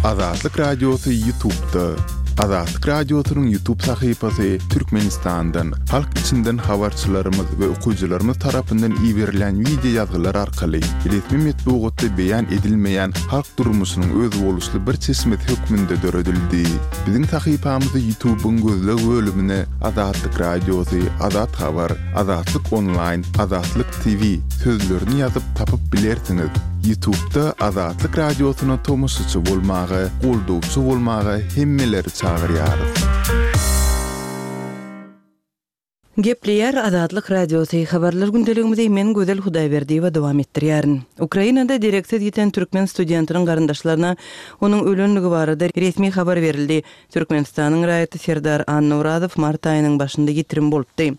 Azatlyk Radiosy Ýutubda. Azatlyk Radiosynyň Ýutub sahypasy Türkmenistandan, halk içinden habarçylarymyz we okyjylarymyz tarapyndan iberilýän wideo ýazgylar arkaly resmi metbugatda beýan edilmeýän halk durmuşynyň özboluşly bir çeşmesi hökmünde döredildi. Biziň sahypamyzy Ýutubyň gözleg bölümine Azatlyk Radiosy, Azat Habar, Azatlyk Onlaýn, Azatlyk TV sözlerini ýazyp tapyp bilersiňiz. Ýutubda Azatlyk Radiosyna tomaşaçy bolmaga, goldawçy bolmaga hemmeleri çagyrýarys. Gepleýär Azatlyk Radiosy, Habarlar gündeligimizi men Gözel Hudaýberdiýewa dowam etdirýärin. Ukrainada dereksiz ýiten türkmen studentiniň garyndaşlaryna onuň ölenligi barada resmi habar berildi. Türkmenistanyň raýaty Serdar Annaorazow mart aýynyň başynda ýitirim bolupdy.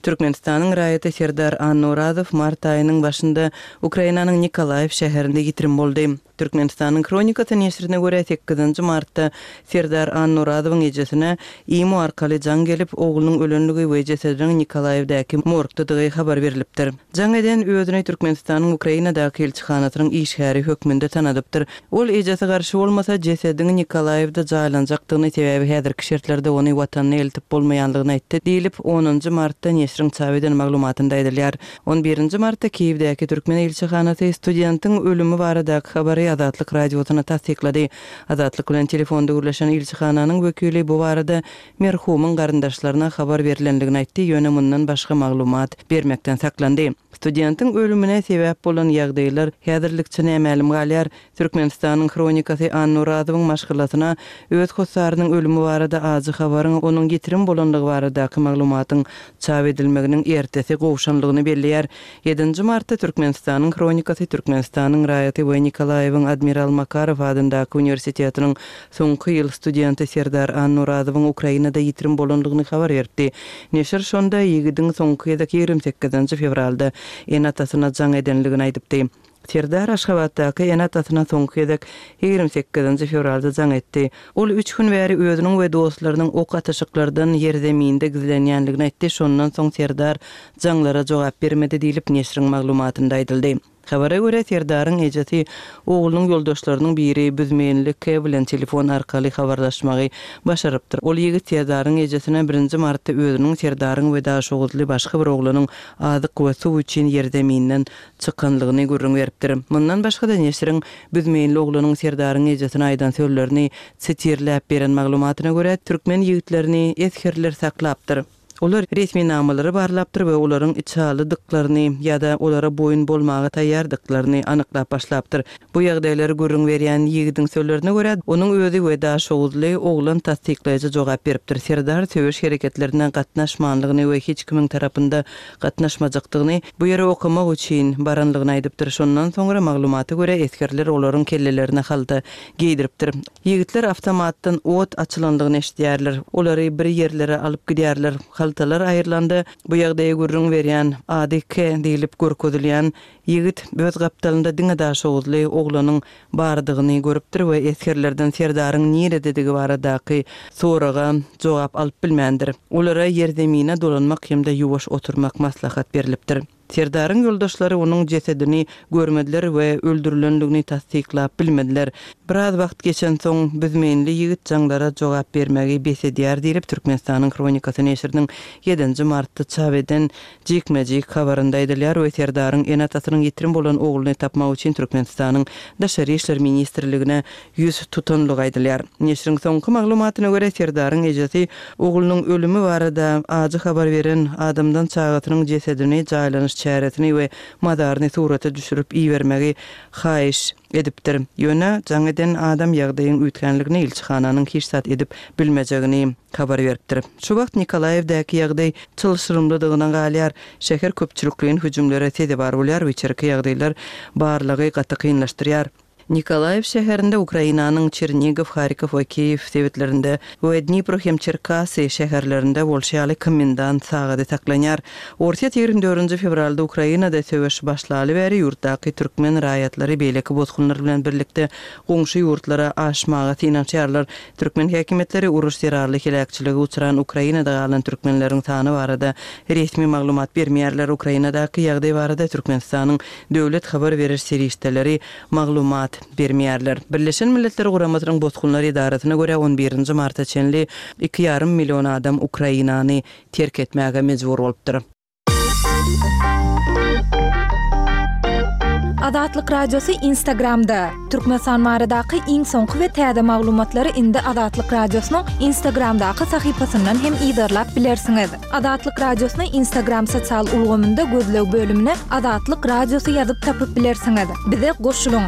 Türkmenistanyň raýaty Serdar Annaorazow mart aýynyň başynda Ukrainanyň Nikolaýew şäherinde ýitirim boldy. Türkmenistanyň Hronikasy neşirine görä, sekizinji martda Serdar Annaorazowyň ejesine imo arkaly jaň gelip, oglunyň ölenligi we jesediniň Nikolaýewdäki morgdadygy habar berlipdir. Jaň eden özüni Türkmenistanyň Ukrainadaky ilçihanasynyň işgäri hökmünde tanadypdyr. Ol ejesi garşy bolmasa, jesediň Nikolaýewde jaýlanjakdygyny, sebäbi häzirki şertlerde ony watanyna eltip bolmaýanlygyny aýtdy, diýlip, onunjy martda neşiriň çap eden maglumatynda aýdylýar. On birinji martda Kiýewdäki türkmen ilçihanasy studentiň ölümi baradaky habary Azatlyk Radiosyna tassyklady. Azatlyk bilen telefonda gürleşen ilçihananyň wekili bu barada merhumyň garyndaşlaryna habar berlendigini aýtdy, ýöne mundan başga maglumat bermekden saklandy. Studentiň ölümine sebäp bolan ýagdaýlar häzirlikçe nämälim galýar. Türkmenistanyň Hronikasy Annaorazowyň maşgalasyna öz hossarynyň ölümi barada ajy habaryň onuň ýitirim bolandygy baradaky maglumatyň çap edilmeginiň ertesi gowşanlygyny belleýär. Ýedinji martda Türkmenistanyň Hronikasy Türkmenistanyň raýaty we Nikolaýewiň Admiral Makarow adyndaky uniwersitetiniň Soňky ýyl studenti Serdar Annaorazowyň Ukrainada ýitirim bolandygyny habar beripdi. Neşir şonda ýigidiň soňky gezek 28 fewralda ene-atasyna jaň edenligini aýdypdy. Serdar Aşgabatdaky ene-atasyna soňky gezek 28 fewralda jaň etdi. Ol üç gün bäri özüniň we dostlarynyň ok atyşyklardan ýerzeminde gizlenýänligini aýtdy, şondan soň Serdar jaňlara jogap bermedi diýlip, neşiriň maglumatynda aýdyldy. Habara görä, Serdaryň ejesi oglunyň ýoldaşlarynyň biri Büzmeýinli K bilen telefon arkaly habarlaşmagy başarypdyr. Ol ýigit Serdaryň ejesine birinji martda özüniň Serdaryň we daşoguzly başga bir oglanyň azyk we suw üçin ýerzeminden çykanlygyny gürrüň beripdir. Mundan başga-da neşiriň Büzmeýinli oglanyň Serdaryň ejesine aýdan sözlerini sitirläp beren maglumatyna görä, türkmen ýigitlerini esgerler saklapdyr. Olar resminamalary barlapdyr we olaryň içalydyklaryny ýa-da olara boýun bolmaga taýýardyklaryny anyklap başlapdyr. Bu ýagdaýlary gürrüň berýän ýigidiň sözlerine görä, onuň özi we daşoguzly oglan tassyklaýjy jogap beripdir. Serdar söweş hereketlerine gatnaşmanlygyny we hiç kimiň tarapynda gatnaşmajakdygyny, bu ýere okamak üçin baranlygyny aýdypdyr. Şondan soňra, maglumata görä, esgerler olaryň kellelerine halta geýdiripdir. Ýigitler awtomatdan ot açylandygyny eşidýärler. Olary bir ýerlere alyp gidýärler. Haltalar aýrylanda, bu ýagdaýy gürrüň berýän, ady K diýlip görkezilýän ýigit öz gapdalynda diňe daşoguzly oglanyň bardygyny görüpdir we esgerlerden Serdaryň nirededigi baradaky soraga jogap alyp bilmändir. Olara ýerzemine dolanmak hem-de ýuwaş oturmak maslahat berlipdir. Serdaryň ýoldaşlary onuň jesedini görmediler we öldürilendigini tassyklap bilmediler. Biraz wagt geçensoň, büzmeýinli ýigit jaňlara jogap bermegi bes edýär diýlip, Türkmenistanyň Hronikasy neşiriniň ýedinji martda çap eden jikme-jik habarynda aýdylýar we Serdaryň ene-atasynyň ýitirim bolan ogluny tapmak üçin Türkmenistanyň Daşary işler ministrligine ýüz tutanlygy aýdylýar. Neşiriň soňky maglumatyna görä, Serdaryň ejesi oglunyň ölümi barada ajy habar beren adamdan çagasynyň jesedini, jaýlanyş çäresini we mazaryny surata düşürip ibermegi haýyş edipdir. Ýöne jaň eden adam ýagdaýyň üýtgänligini, ilçihananyň hiç zat edip bilmejegini habar beripdir. Şu wagt Nikolaýewdäki ýagdaý çylşyrymlydygyna galýar. Şäher köpçülikleýin hüjümlere sezewar bolýar we içerki ýagdaýlar barlagy gaty kynlaşdyrýar. Nikolaýew şäherinde Ukrainanyň Çernigow, Harkow we Kiýew sebitlerinde we Dnipro hem Çerkasy şäherlerinde bolşy ýaly komendant sagady saklanýar. Orsýet 24-nji fewralda Ukrainada söweş başlaly bäri ýurtdaky türkmen raýatlary beýleki bosgunlar bilen birlikde goňşy ýurtlara aşmaga synanyşýarlar. Türkmen häkimiýetleri uruş zerarly heläkçilige uçran Ukrainada galan türkmenleriň sany barada resmi maglumat bermeýärler. Ukrainadaky ýagdaý barada Türkmenistanyň Döwlet habar beriş serişdeleri maglumat. bermeýärler. Birleşen Milletler Guramasynyň Bosgunlar edarasyna görä, on birinji marta çenli iki ýarym million adam Ukrainany terk etmäge mejbur bolupdyr. Azatlyk Radiosy Instagramda, Türkmenistan baradaky iň soňky we täze maglumatlary indi Azatlyk Radiosynyň Instagramdaky sahypasyndan hem yzarlap bilersiňiz. Azatlyk Radiosyny Instagram sosial ulgamynda gözleg bölümine Azatlyk Radiosy ýazyp tapyp bilersiňiz. Bize goşulyň!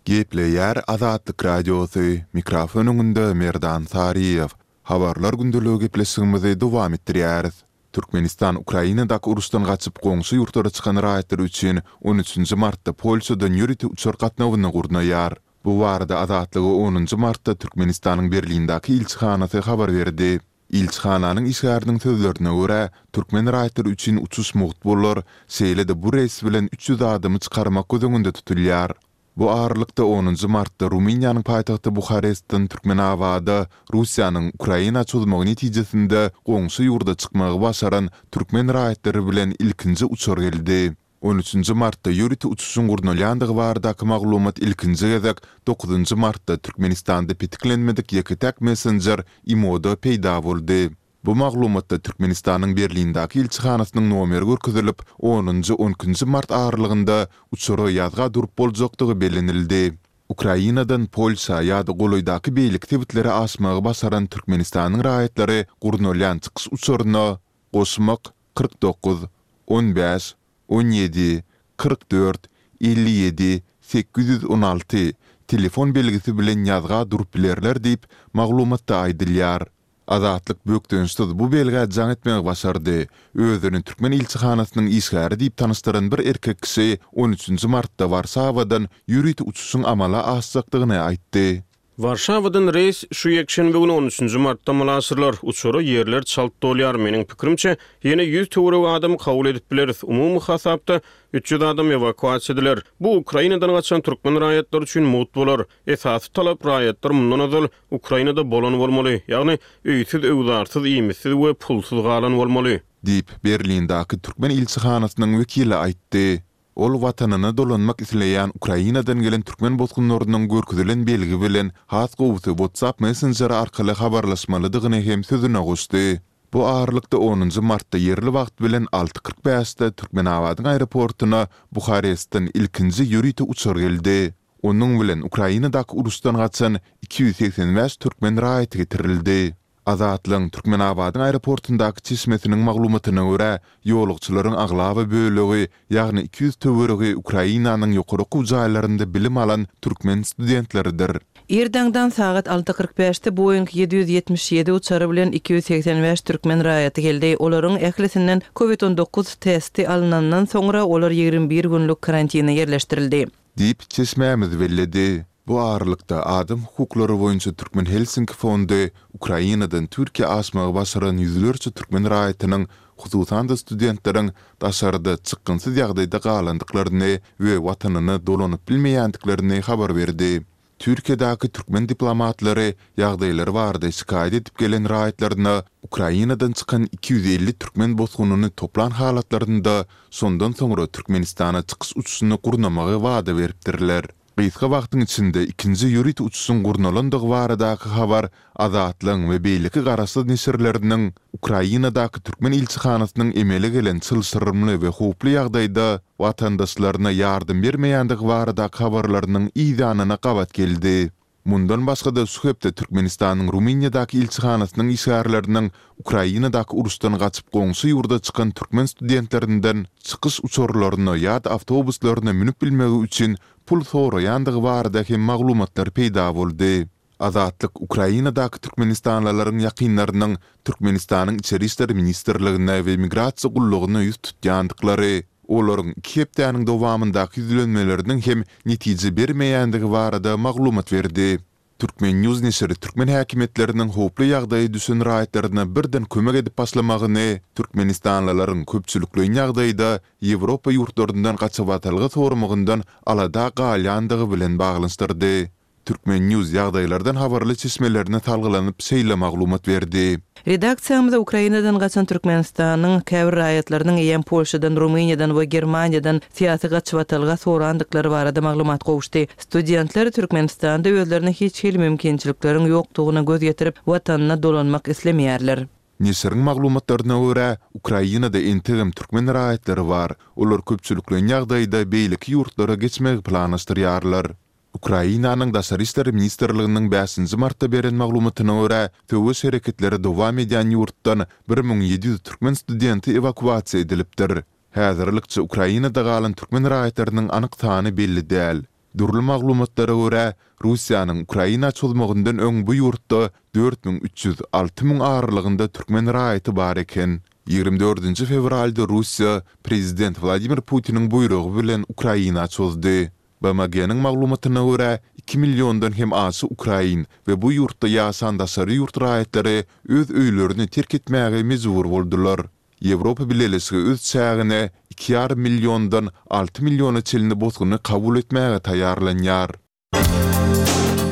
Gepleýär Azatlyk Radiosy, mikrofon öňünde Merdan Saryýew. Habarlar gündeligi gepleşigimizi dowam etdirýäris. Türkmenistan Ukrainadaky uruşdan gaçyp goňşy ýurtlara çykan raýatlar üçin on üçünji martda Polşadan ýörite uçar gatnawyny gurnaýar. Bu barada Azatlyga onunjy martda Türkmenistanyň Berlindäki ilçihanasy habar berdi. Ilçihananyň işgäriniň sözlerine görä, türkmen raýatlary üçin uçuş mugt bolar, şeýle-de bu reýs bilen 300 adamy çykarmak göz öňünde tutulýar. Bu aralykda, onunjy martda Rumyniýanyň paýtagty Buharestden Türkmenabada Russiýanyň Ukraina çozmagy netijesinde goňşy ýurda çykmagy başaran türkmen raýatlary bilen ilkinji uçar geldi. On üçünji martda ýörite uçuşyň gurnalýandygy baradaky maglumat ilkinji gezek dokuzynjy martda Türkmenistanda petiklenmedik ýeke-täk messenjer Imo-da peýda boldy. Bu maglumatda Türkmenistanyň Berlindäki ilçihanasynyň nomeri görkezilip, onunjy, on ikinji mart aralygynda uçara ýazga durup boljakdygy bellenildi. Ukrainadan Polşa ýa-da golaýdaky beýleki sebitlere aşmagy başaran Türkmenistanyň raýatlary gurnalýan çykyş uçaryna goşmak 49, 15, 17, 44, 57, 816 telefon belgisi bilen ýazga durup bilerler diýip, maglumatda aýdylýar. Azatlyk bökdençsiz bu belgä jaň etmegi başardy. Özüni türkmen ilçihanasynyň işgäri diýip tanyşdyran bir erkek kişi on üçünji martda Warşawadan ýörite uçuşyň amala aşjakdygyny aýtdy. Warşawadan reýs şu ýekşenbe güni on üçünji martda amala aşyrylar. Uçara ýerler çalt dolýar. Meniň pikirimçe, ýene 100 töweregi adamy kabul edip bileris. Umumy hasapda, 300 adam ewakuasiýa ediler. Bu Ukrainadan gaçan türkmen raýatlary üçin mugt bolar. Esasy talap, raýatlar mundan ozal Ukrainada bolan bolmaly, ýagny öýsüz-öwzarsyz, iýmitsiz we pulsuz galan bolmaly. Diýip, Berlindäki türkmen ilçihanasynyň wekili aýtdy. Ol watanyna dolanmak isleýän Ukrainadan gelen türkmen bosgunlarynyň görkezilen belgi bilen, has gowusy WhatsApp messenjeri arkaly habarlaşmalydygyny hem sözüne goşdy. Bu aralykda onunjy martda ýerli wagt bilen alty 45-de Türkmenabadyň aeroportuna Buharestden ilkinji ýörite uçar geldi. Onuň bilen Ukrainadaky uruşdan gaçan 285 türkmen raýaty getirildi. Azatlygyň Türkmenabadyň aeroportundaky çeşmesiniň maglumatyna görä, ýolagçylaryň aglaba bölegi, ýagny 200 töweregi Ukrainanyň ýokary okuw jaýlarynda bilim alan türkmen studentleridir. Ir daňdan sagat alty 45-de Boeing 777 uçary bilen 285 türkmen raýaty geldi. Olaryň ählisinden Covid 19 testi alnandan soňra olar 21 günlük karantine ýerleşdirildi. Diýip, çeşmämiz belledi. Bu aralykda, adam hukuklary boýunça Türkmen Helsinki fondy Ukrainadan Türkiýä aşmagy başaran ýüzlerçe türkmen raýatynyň, hususan-da studentleriň daşarda çykgynsyz ýagdaýda galandyklaryny we watanyna dolanyp bilmeýändiklerini habar berdi. Türkiýedäki türkmen diplomatlary ýagdaýlary barada şikaýat edip gelen raýatlaryna Ukrainadan çykan 250 türkmen bosgunyny toplan halatlarynda şondan soňra Türkmenistana çykyş uçuşyny gurnamagy wada beripdirler. Gysga wagtyň içinde ikinji ýörite uçuşyň gurnalandygy baradaky habar Azatlygyň we beýleki garaşsyz neşirleriniň Ukrainadaky türkmen ilçihanasynyň emele gelen çylşyrymly we howply ýagdaýda watandaşlaryna ýardam bermeýändigi baradaky habarlarynyň yzýanyna gabat geldi. Mundan başga-da şu hepde Türkmenistanyň Rumyniýadaky ilçihanasynyň işgärleriniň Ukrainadaky uruşdan gaçyp goňşy ýurda çykan türkmen studentlerinden çykyş uçarlaryna ýa-da awtobuslaryna münüp bilmegi üçin pul soraýandygy barada hem maglumatlar peýda boldy. Azatlyk Ukrainadaky türkmenistanlylaryň ýakynlarynyň Türkmenistanyň Içeri işler ministrligine we Migrasiýa gullugyna ýüz tutýandyklary, olaryň iki hepdäniň dowamyndaky ýüzlenmeleriniň hem netije bermeýändigi barada maglumat berdi. Turkmen. News neşiri türkmen häkimiýetleriniň howply ýagdaýa düşen raýatlaryna birden kömek edip başlamagyny türkmenistanlylaryň köpçülikleýin ýagdaýda Ýewropa ýurtlaryndan gaçybatalga soramagyndan alada galýandygy bilen baglanyşdyrdy. Turkmen. News ýagdaýlardan habarly çeşmelerine salgylanyp şeýle maglumat berdi. Redaksiýamyza Ukrainadan gaçan Türkmenistanyň käbir raýatlarynyň eýýäm Polşadan, Rumyniýadan we Germaniýadan syýasy gaçybatalga sorandyklary barada maglumat gowuşdy. Studentler Türkmenistanda özlerine hiç hili mümkinçilikleriň ýokdugyna göz ýetirip, watanyna dolanmak islemeýärler. Neşiriň maglumatlaryna görä, Ukrainada entegem türkmen raýatlary bar, olar köpçülikleýin ýagdaýda beýleki ýurtlara geçmegi planlaşdyrýarlar. Ukrainanyň Daşary işler ministrliginiň bäşinji martda beren maglumatyna görä, söweş hereketleri dowam edýän ýurtdan 1700 türkmen studenti ewakuasiýa edilipdir. Häzirlikçe Ukrainada galan türkmen raýatlarynyň anyk sany belli däl. Dürli maglumatlara görä, Russiýanyň Ukraina çozmagyndan öň bu ýurtda 4300, 6000 aralygynda türkmen raýaty bar eken. Ýigrimi dördünji fewralda Russiýa prezident Wladimir Putiniň buýrugy bilen Ukraina çozdy. BMG-niň maglumatyna görä, iki milliondan hem aşa ukrain we bu ýurtda ýaşan daşary ýurt raýatlary öz öýlerini terk etmäge mejbur boldular. Ýewropa Bileleşigi öz çägine iki ýarym milliondan alty milliona çenli bosguny kabul etmäge taýýarlanýar.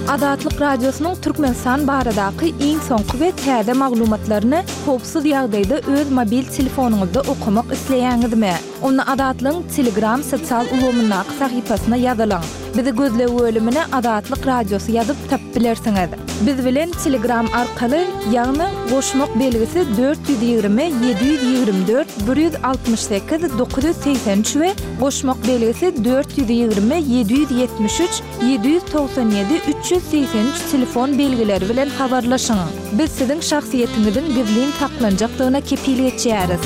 Azatlyk Radiosynyň Türkmenistan baradaky iň soňky we täze maglumatlaryny howpsuz ýagdaýda öz mobil telefonyňyzda okamak isleýäňizmi? Onda Azatlygyň Telegram sosial ulgamyndaky sahypasyna ýazylyň. Bizi gözleg bölümine Azatlyk Radiosy ýazyp tapyp bilersiňiz. Biz bilen Telegram arkaly, ýagny goşmak belgisi 420 724 168 983 we goşmak belgisi 420 773 797 383 telefon belgileri bilen habarlaşyň. Biz siziň şahsyýetiňiziň gizlin saklanjakdygyna kepil geçýäris.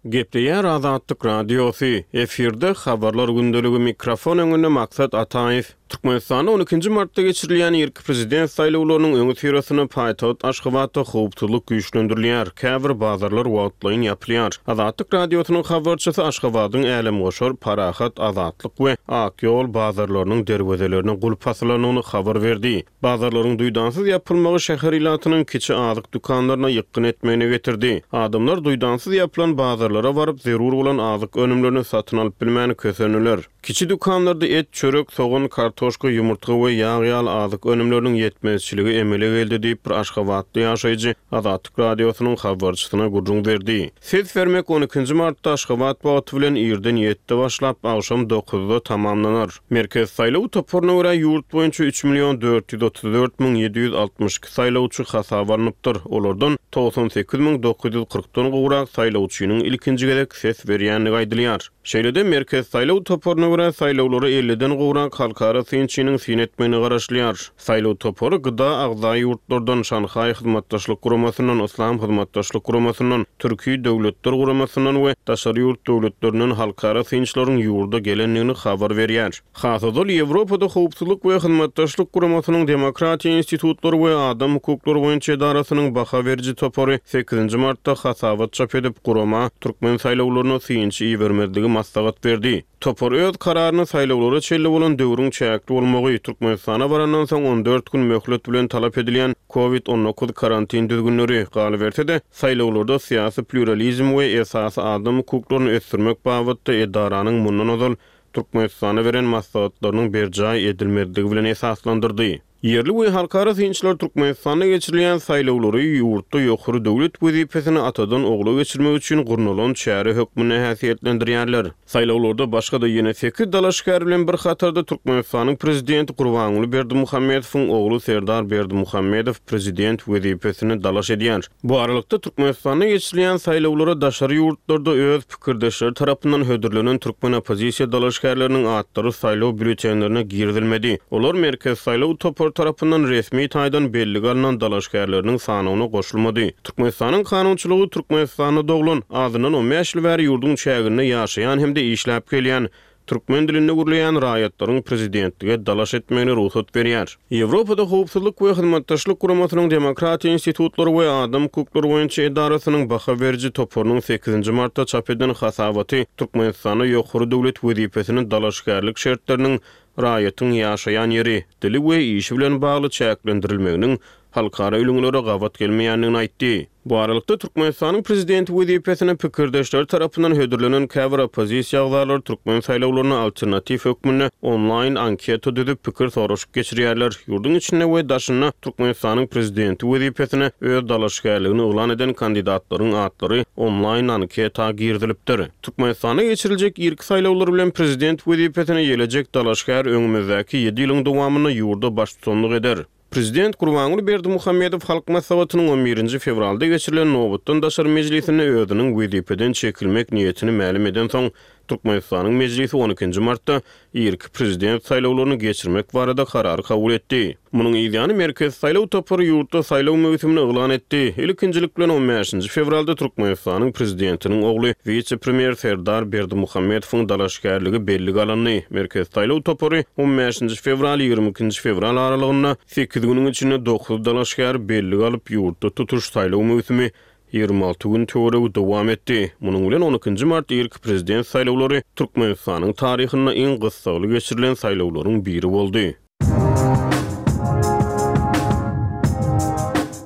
Gepleýär Azatlyk Radiosy, efirde Habarlar gündeligi, mikrofon öňünde Maksat Ataýew. Türkmenistanda on ikinji martda geçirilýän irki prezident saýlawlarynyň öňüsyrasynda paýtagt Aşgabatda howpsuzlyk güýçlendirilýär, käbir bazarlar wagtlaýyn ýapylýar. Azatlyk Radiosynyň habarçysy Aşgabadyň Älemgoşar, Parahat, Azatlyk we Ak ýol bazarlarynyň derwezelerine gulp asylandygyny habar berdi. Bazarlaryň duýdansyz ýapylmagy şäher ilatynyň kiçi azyk dükanlaryna ýykgyn etmegine getirdi. Adamlar duýdansyz ýapylan bazarlara baryp, zerur bolan azyk önümlerini satyn alyp bilmän kösendiler. Kiçi dükanlarda et, çörek, sogan, kartoşka, ýumurtga we ýag ýaly azyk önümleriniň ýetmezçiligi emele geldi diýip, bir aşgabatly ýaşaýjy Azatlyk Radiosynyň habarçysyna gürrüň berdi. Ses bermek on ikinji martda Aşgabat wagty bilen irden ýedide başlap, agşam dokuzda tamamlanar. Merkezi saýlaw toparyna görä, ýurt boýunça üç million 434 762 saýlawçy hasaba alnypdyr. Olardan 98 940-dan gowrak saýlawçynyň ilkinji gezek ses berýändigi aýdylýar. Şeýle-de, Merkezi saýlaw toparyna görä, saýlawlara elliden gowrak halkara synçynyň syn etmegine garaşylýar. Saýlaw topary GDA agza ýurtlardan, Şanhaý Hyzmatdaşlyk Guramasyndan, Yslam Hyzmatdaşlyk Guramasyndan, Türki Döwletler Guramasyndan we daşary ýurt döwletlerinden halkara synçylaryň ýurda gelendigini habar berýär. Has ozal Ýewropada Howpsuzlyk we Hyzmatdaşlyk Guramasynyň Demokratiýa institutlary we adam hukuklary boýunça edarasynyň baha beriji topary sekizinji martda hasabat çap edip, gurama türkmen saýlawlaryna synçy ibermezligi maslahat berdi. Topar öz kararyny saýlawlara çenli bolan döwrüň çäkli bolmagy, Türkmenistana barandan soň 14 gün möhlet bilen talap edilýän Covid 19 karantin düzgünleri, galyberse-de, saýlawlarda syýasy plýuralizm we esasy adam hukuklaryny ösdürmek babatda edaranyň mundan ozal Türkmenistana beren maslahatlarynyň berjaý edilmezligi bilen esaslandyrdy. Ýerli we halkara synçylar Türkmenistanda geçirilýän saýlawlary ýurtda ýokary döwlet wezipesini atadan ogla geçirmek üçin gurnalan çäre hökmünde häsiýetlendirýärler. Saýlawlarda başga-da ýene sekiz dalaşgär bilen bir hatarda Türkmenistanyň prezidenti Gurbanguly Berdimuhamedowyň ogly Serdar Berdimuhamedow prezident wezipesine dalaş edýär. Bu aralykda, Türkmenistanda geçirilýän saýlawlara daşary ýurtlarda öz pikirdeşleri tarapyndan hödürlenen türkmen oppozisiýa dalaşgärleriniň atlary saýlaw býulletenlerine girizilmedi. Olar Merkezi saýlaw topary tarapyndan resmi taýdan bellige alnan dalaşgärleriniň sanawyna goşulmady. Türkmenistanyň kanunçylygy Türkmenistanda doglan, azyndan on bäş ýyl bäri ýurduň çäginde ýaşaýan hem-de işläp gelýän, Türkmen dilinde gürleýän raýatlaryň prezidentlige dalaş etmegine rugsat berýär. Ýewropada Howpsuzlyk we Hyzmatdaşlyk Guramasynyň Demokratiýa institutlary we adam hukuklary boýunça edarasynyň baha beriji toparynyň sekizinji martda çap eden hasabaty Türkmenistanda ýokary döwlet wezipesine dalaşgärlik şertleriniň raýatyň ýaşaýan ýeri, dili we işi bilen bagly çäklendirilmeginiň. halkara ülňülere gabat gelmeýändigini aýtdy. Bu aralykda, Türkmenistanyň prezidenti wezipesine pikirdeşleri tarapyndan hödürlenen käbir oppozisiýa agzalary türkmen saýlawlaryna alternatiw hökmünde onlaýn anketa düzüp, pikir soraşyk geçirýärler. Ýurduň içinde we daşynda Türkmenistanyň prezidenti wezipesine öz dalaşgärligini yglan eden kandidatlaryň atlary onlaýn anketa girizilipdir. Türkmenistanda geçiriljek irki saýlawlar bilen prezident wezipesine ýelejek dalaşgär öňümizdäki ýedi ýylyň dowamynda ýurda baştutanlyk eder. Prezident Gurbanguly Berdimuhamedow Halk Maslahatynyň on birinji fewralda geçirilen nobatdan daşary mejlisinde özüniň wezipeden çekilmek niýetini mälim edensoň, Türkmenistanyň Mejlisi on ikinji martda irki prezident saýlawlaryny geçirmek barada karar kabul etdi. Munuň yzýany Merkezi saýlaw topary ýurtda saýlaw möwsümini yglan etdi. Ilkinjilik bilen on bäşinji fewralda Türkmenistanyň Prezidentiniň ogly, wise-premýer Serdar Berdimuhamedowyň dalaşgärligi bellige alyndy. Merkezi saýlaw topary on bäşinji fewral, 22 nji fewral aralygynda sekiz günüň içinde dokuz dalaşgäri bellige alyp, ýurtda tutuş saýlaw möwsümi 26 gün töweregi dowam etdi. Munuň bilen on ikinji mart irki prezident saýlawlary Türkmenistanyň taryhynda iň gyssagly geçirilen saýlawlaryň biri boldy.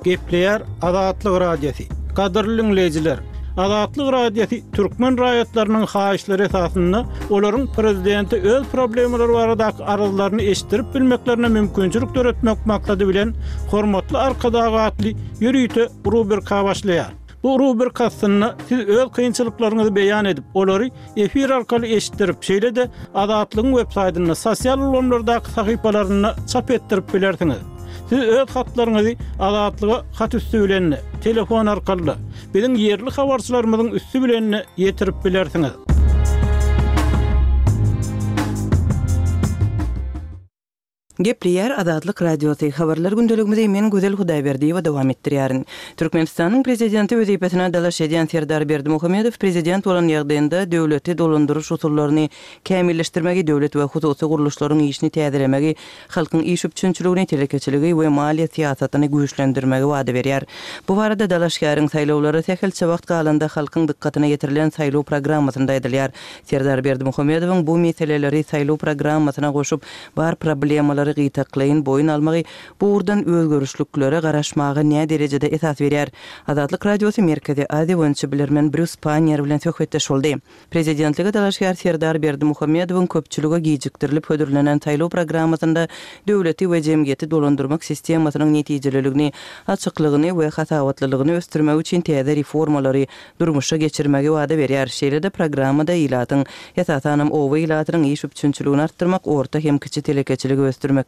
Gepleýär Azatlyk Radiosy. Gadyrly diňleýjiler! Azatlyk Radiosy türkmen raýatlarynyň haýyşlary esasynda olaryň prezidente öz problemalary baradaky arzlaryny eşitdirip bilmeklerine mümkinçilik döretmek maksady bilen Hormatly Arkadag atly ýörite rubrika başlaýar. Bu rubrika astynda siz öz kynçylyklaryňyzy beýan edip, olary efir arkaly eşitdirip, şeýle-de Azatlygyň websaýtynda, sosial ulgamlardaky sahypalarynda çap etdirip bilersiňiz. Siz öz hatlaryňyzy Azatlyga hat üsti bilen-de, telefon arkaly-da, biziň ýerli habarçylarymyzyň üsti bilen-de ýetirip bilersiňiz. Gepleýär Azatlyk Radiosy, Habarlar gündeligimizi men Gözel Hudaýberdiýewa dowam etdirýärin. Türkmenistanyň Prezidenti wezipesine dalaş edýän Serdar Berdimuhamedow prezident bolan ýagdaýynda döwleti dolandyryş usullaryny kämilleşdirmegi, döwlet we hususy gurluşlaryň işini täzelemegi, halkyň iş üpjünçiligini, telekeçiligi we maliýe syýasatyny güýçlendirmegi wada berýär. Bu barada dalaşgäriň saýlawlara sähelçe wagt galanda halkyň dykgatyna ýetirilen saýlaw programmasynda aýdylýar. Serdar Berdimuhamedowyň bu meseleleri saýlaw programmasyna goşup, bar problemalary gytaklaýyn boýun almagy bu ugurdan özgerişliklere garaşmaga näderejede esas berýär? Azatlyk Radiosy Merkezi Aziýa boýunça bilermen Brýus Panniýer bilen söhbetdeş boldy. Prezidentlige dalaşgär Serdar Berdimuhamedowyň köpçülige gijikdirilip hödürlenen saýlaw programmasynda döwleti we jemgyýeti dolandyrmak sistemasynyň netijeliligini, açyklygyny we hasabatlylygyny ösdürmek üçin täze reformalary durmuşa geçirmegi wada berýär. Şeýle-de programmada ilatyň, esasanam oba ilatynyň iş üpjünçiligini artdyrmak, orta hem kiçi telekeçiligi ösdürmekde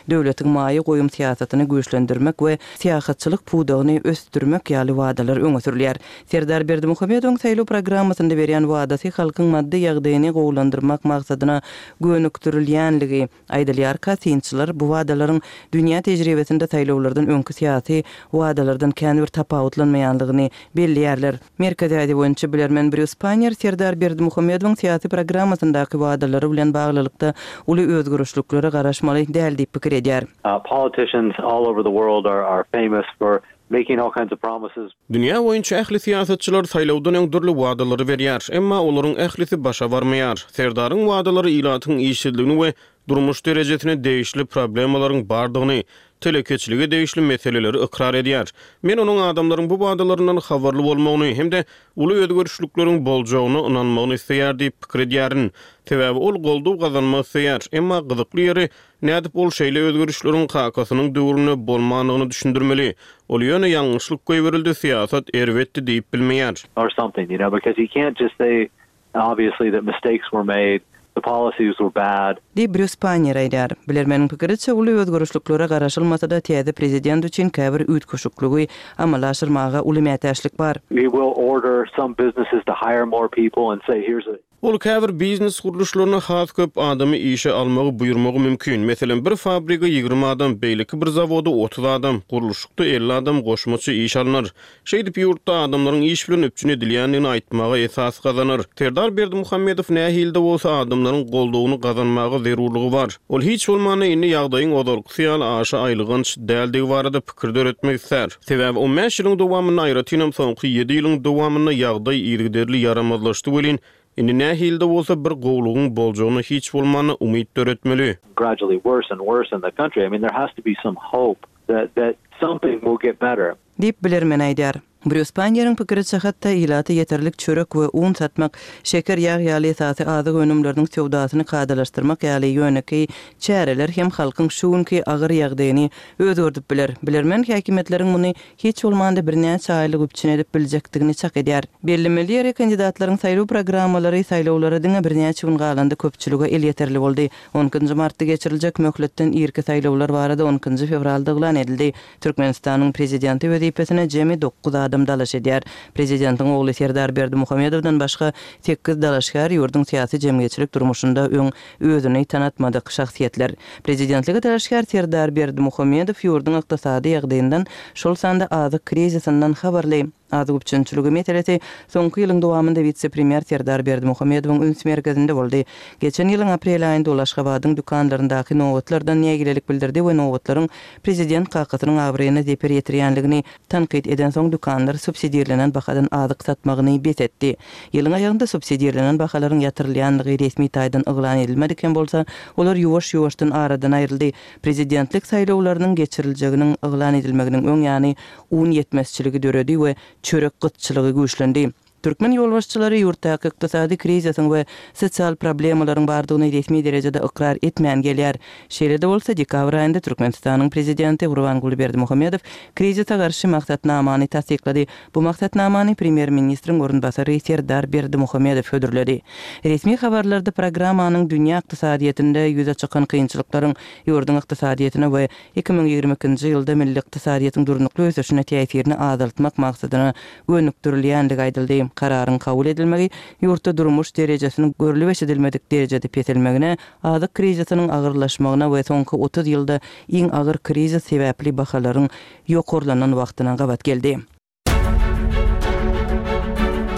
döwletiň maýa goýum syýasatyny güýçlendirmek we syýahatçylyk pudagyny ösdürmek ýaly wadalar öňe sürülýär. Serdar Berdimuhamedowyň saýlaw programmasynda berýän wadasy halkyň maddy ýagdaýyny gowulandyrmak maksadyna gönükdirilýänligi, Aýdylýarka, synçylar bu wadalaryň dünýä tejribesinde saýlawlardan öňki syýasy wadalardan kän bir tapawutlanmaýanlygyny belleýärler. Merkezi Aziýa boýunça bilermen Brýus Pannier Serdar Berdimuhamedowyň syýasy programmasyndaky wadalary bilen baglylykda uly özgerişliklere garaşmaly däl diýip pikir edýär. Politicians all over the world are famous for making all kinds of promises. Dünýä boýunça ähli syýasatçylar saýlawdan öň dürli wadalary berýär, emma olaryň ählisi başa barmaýar. Serdaryň wadalary ilatyň işsizligini we durmuş derejesine degişli problemalaryň bardygyny, telekeçilige degişli meseleleri ykrar edýär. Men onuň adamlaryň bu wadalaryndan habarly bolmagyny hem-de uly özgerişlikleriň boljagyna ynanmagyny isleýär diýip pikir edýärin. Sebäbi ol goldaw gazanmak isleýär. Emma gyzykly ýeri, Nädip ol şeýle özgerişleriň kakasynyň döwründe bolmandygyny düşündirmeli? Ol ýöne ýalňyşlyk goýberildi, syýasat erbetdi diýip bilmeýär. Or something, you know, because he can't just say obviously that mistakes were made, the policies were bad. Diýip, Brýus Panniýer aýdýar. Bilermeniň pikiriçe, uly özgerişliklere garaşylmasa-da, täze prezident üçin käbir üýtgeşikligi amala aşyrmaga uly mätäçlik bar. He will order some businesses to hire more people and say here's a. Ol käbir biznes gurluşlaryna has köp adamy işe almagy buýurmagy mümkin. Meselem, bir fabrige 20 adam, beýleki bir zawoda 30 adam, gurluşykda 50 adam goşmaça işe alnar. Şeýdip, ýurtda adamlaryň iş bilen üpjün edilýändigini aýtmaga esas gazanar. Serdar Berdimuhamedow nähili-de bolsa adamlaryň goldawyny gazanmaga zerurlygy bar. Ol hiç bolmanda indi ýagdaýyň ozalkysy ýaly aşa aýylganç däldigi barada pikir döretmek islär. Sebäbi on bäş ýylyň dowamynda, aýratynam soňky ýedi ýylyň dowamynda ýagdaý yzygiderli ýaramazlaşdy welin, indi nähili-de bolsa bir gowulygyň boljagyna hiç bolmanda umyt döretmeli. Gradually worse and worse in the country. I mean there has to be some hope. that that something will get better. Diýip, bilermen aýdýar. Brýus Paýneriň pikiriçe, hatda ilata ýeterlik çörek we un satmak, şeker, ýag ýaly esasy azyk önümleriniň söwdasyny kadalaşdyrmak ýaly ýönekeý çäreler hem halkyň şu günki agyr ýagdaýyny özgerdip biler. Bilermen häkimiýetleriň muny hiç bolmanda birnäçe aýlyk üpjün edip biljekdigini çak edýär. Bellemeli ýeri, kandidatlaryň saýlaw programmalary saýlawlara diňe birnäçe gün galanda köpçülige elýeterli boldy. On ikinji martda geçiriljek möhletden irki saýlawlar barada on ikinji fewralda yglan edildi. Türkmenistanyň Prezidenti wezipesine jemi dokuz adam dalaş edýär. Prezidentiň ogly Serdar Berdimuhamedowdan başga sekiz dalaşgär ýurduň syýasy-jemgyýetçilik durmuşynda öň özüni tanatmadyk şahsyýetler. Prezidentlige dalaşgär Serdar Berdimuhamedow ýurduň ykdysady ýagdaýyndan, şol sanda azyk krizisinden habarly. Azyk üpjünçiligi meselesi soňky ýylyň dowamynda wise-premýer Serdar Berdimuhamedowyň üns merkezinde boldy. Geçen ýylyň aprel aýynda ol Aşgabadyň dükanlaryndaky nobatlardan nägilelik bildirdi we nobatlaryň prezident kakasynyň abraýyna zeper ýetirýänligini tankyt edensoň dükanlar subsidirlenen bahadan azyk satmagyny bes etdi. Ýylyň aýagynda subsidirlenen bahalaryň ýatyrylýanlygy resmi taýdan yglan edilmedik hem bolsa, olar ýuwaş-ýuwaşdan aradan aýryldy. Prezidentlik saýlawlarynyň geçiriljeginiň yglan edilmeginiň öň ýany un ýetmezçiligi döredi we çörek gytçylygy güýçlendi. Türkmen ýolbaşçylary ýurtdaky ykdysady krizisiň we sosial problemalaryň bardygyny resmi derejede ykrar etmän gelýär. Şeýle-de bolsa, dekabr aýynda Türkmenistanyň prezidenti Gurbanguly Berdimuhamedow krizise garşy maksatnamany tassyklady. Bu maksatnamany premýer-ministriň orunbasary Serdar Berdimuhamedow hödürledi. Resmi habarlarda programmanyň dünýä ykdysadyýetinde ýüze çykan kynçylyklaryň ýurduň ykdysadyýetine we 2022-nji ýylda milli ykdysadyýetiň durnukly ösüşine täsirini azaltmak maksadyna gönükdirilýändigi aýdyldy. Kararyň kabul edilmegi ýurtda durmuş derejesiniň görlüp-eşidilmedik derejede peselmegine, azyk krizisiniň agyrlaşmagyna we soňky 30 ýylda iň agyr krizis sebäpli bahalaryň ýokarlanan wagtyna gabat geldi.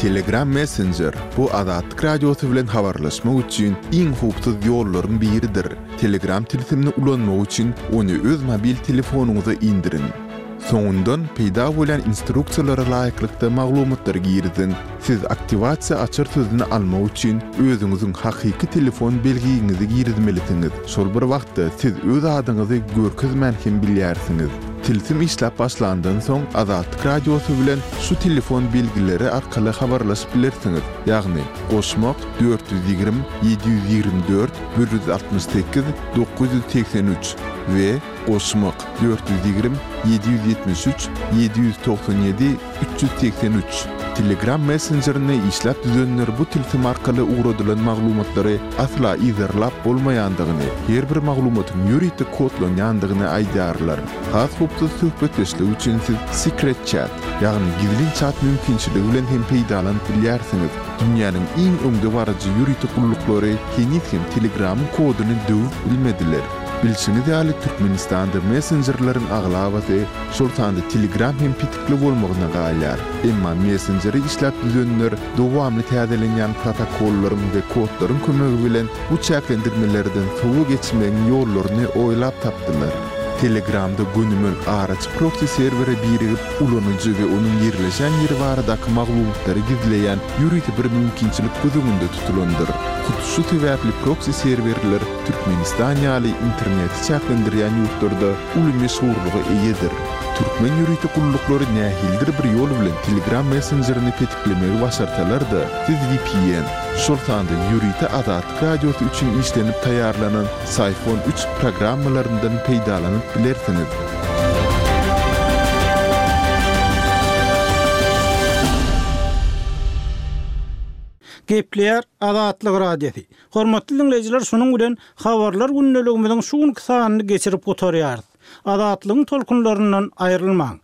Telegram Messenger, bu Azatlyk Radiosy bilen habarlaşmak üçin iň howpsuz ýollaryň biridir. Telegram tilsimini ulanmak üçin ony öz mobil telefonyňyza indiriň. Soňundan peýda bolýan instruksiýalara laýyklykda maglumatlary giriziň. Siz aktiwasiýa açar sözüni almak üçin özüňiziň hakyky telefon belgiňizi girizmelisiňiz. Şol bir wagtda siz öz adyňyzy görkezmän hem bilýärsiňiz. Tilsim işläp başlandan soň Azatlyk Radiosy bilen şu telefon belgileri arkaly habarlaşyp bilersiňiz, ýagny, goşmak, 420 724 168 983 we goşmak, 420 773 797 383. Telegram messenjerini işläp düzenler bu tilsim arkaly ugradylan maglumatlary asla yzarlap bolmaýandygyny, her bir maglumatyň ýörite kodlanýandygyny aýdýarlar. Has howpsuz söhbetdeşlik üçin siz Secret Chat, ýagny gizlin çat mümkinçiligi bilen hem peýdalanyp bilýärsiňiz. Dünýäniň iň öňdebaryjy ýörite gulluklary heniz hem Telegramyň koduny döwüp bilmediler. Bilşiňiz ýaly, Türkmenistanda messenjerleriň aglabasy, şol sanda Telegram hem petikli bolmagyna galýar. Emma messenjeri işläp düzenler dowamly täzelenýän protokollaryň we kodlaryň kömegi bilen bu çäklendirmelerden sowa geçmegiň ýollaryny oýlap tapdylar. Telegramda gönümel araçy proksi serwere birigip, ulanyjy we onuň ýerleşen ýeri baradaky maglumatlary gizleýän ýörite bir mümkinçilik göz öňünde tutulandyr. Hut şu sebäpli proksi serwerler Türkmenistan ýaly interneti çäklendirýän ýurtlarda uly meşhurlyga eýedir. Türkmen ýörite gulluklary nähilidir bir ýol bilen Telegram messenjerini petiklemegi başarsalar-da, siz vpn, şol sanda ýörite Azatlyk Radiosy üçin işlenip taýýarlanan Syphon üç programmalaryndan peýdalanyp bilersiňiz. Gepleýär Azatlyk Radiosy. Hormatly diňleýjiler şunuň bilen Habarlar gündeligimiziň şu günki sanyny geçirip gutarýarys. Azatlygyň tolkunlaryndan aýrylmaň.